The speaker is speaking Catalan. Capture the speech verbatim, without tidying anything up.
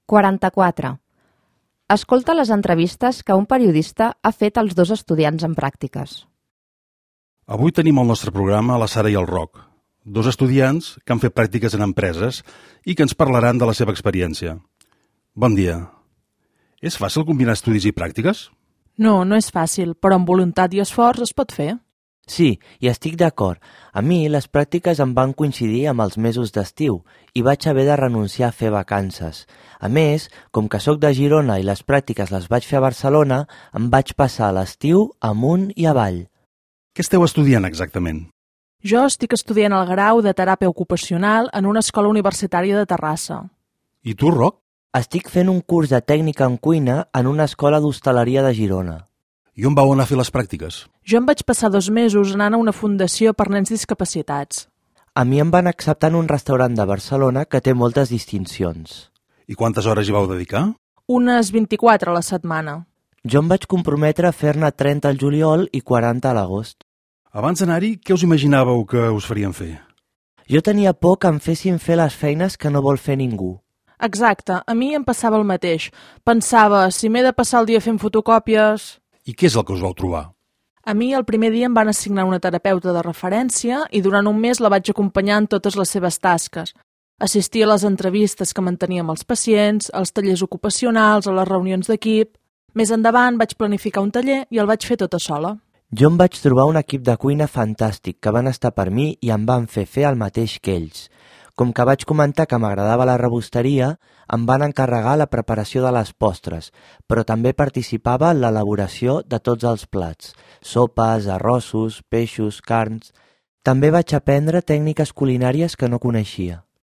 quaranta-quatre. Escolta les entrevistes que un periodista ha fet als dos estudiants en pràctiques. Avui tenim al nostre programa la Sara i el Roc, dos estudiants que han fet pràctiques en empreses i que ens parlaran de la seva experiència. Bon dia. És fàcil combinar estudis i pràctiques? No, no és fàcil, però amb voluntat i esforç es pot fer. Sí, i estic d'acord. A mi les pràctiques em van coincidir amb els mesos d'estiu i vaig haver de renunciar a fer vacances. A més, com que sóc de Girona i les pràctiques les vaig fer a Barcelona, em vaig passar l'estiu amunt i avall. Què esteu estudiant exactament? Jo estic estudiant el grau de teràpia ocupacional en una escola universitària de Terrassa. I tu, Roc? Estic fent un curs de tècnica en cuina en una escola d'hostaleria de Girona. I on vau anar a fer les pràctiques? Jo em vaig passar dos mesos anant a una fundació per nens discapacitats. A mi em van acceptar en un restaurant de Barcelona que té moltes distincions. I quantes hores hi vau dedicar? Unes vint-i-quatre a la setmana. Jo em vaig comprometre a fer-ne trenta al juliol i quaranta a l'agost. Abans d'anar-hi, què us imaginàveu que us farien fer? Jo tenia por que em fessin fer les feines que no vol fer ningú. Exacte, a mi em passava el mateix. Pensava, si m'he de passar el dia fent fotocòpies... I què és el que us vau trobar? A mi el primer dia em van assignar una terapeuta de referència i durant un mes la vaig acompanyar en totes les seves tasques. Assistia a les entrevistes que mantenia amb els pacients, als tallers ocupacionals, a les reunions d'equip... Més endavant vaig planificar un taller i el vaig fer tota sola. Jo em vaig trobar un equip de cuina fantàstic que van estar per mi i em van fer fer el mateix que ells. Com que vaig comentar que m'agradava la rebosteria, em van encarregar la preparació de les postres, però també participava en l'elaboració de tots els plats, sopes, arrossos, peixos, carns... També vaig aprendre tècniques culinàries que no coneixia.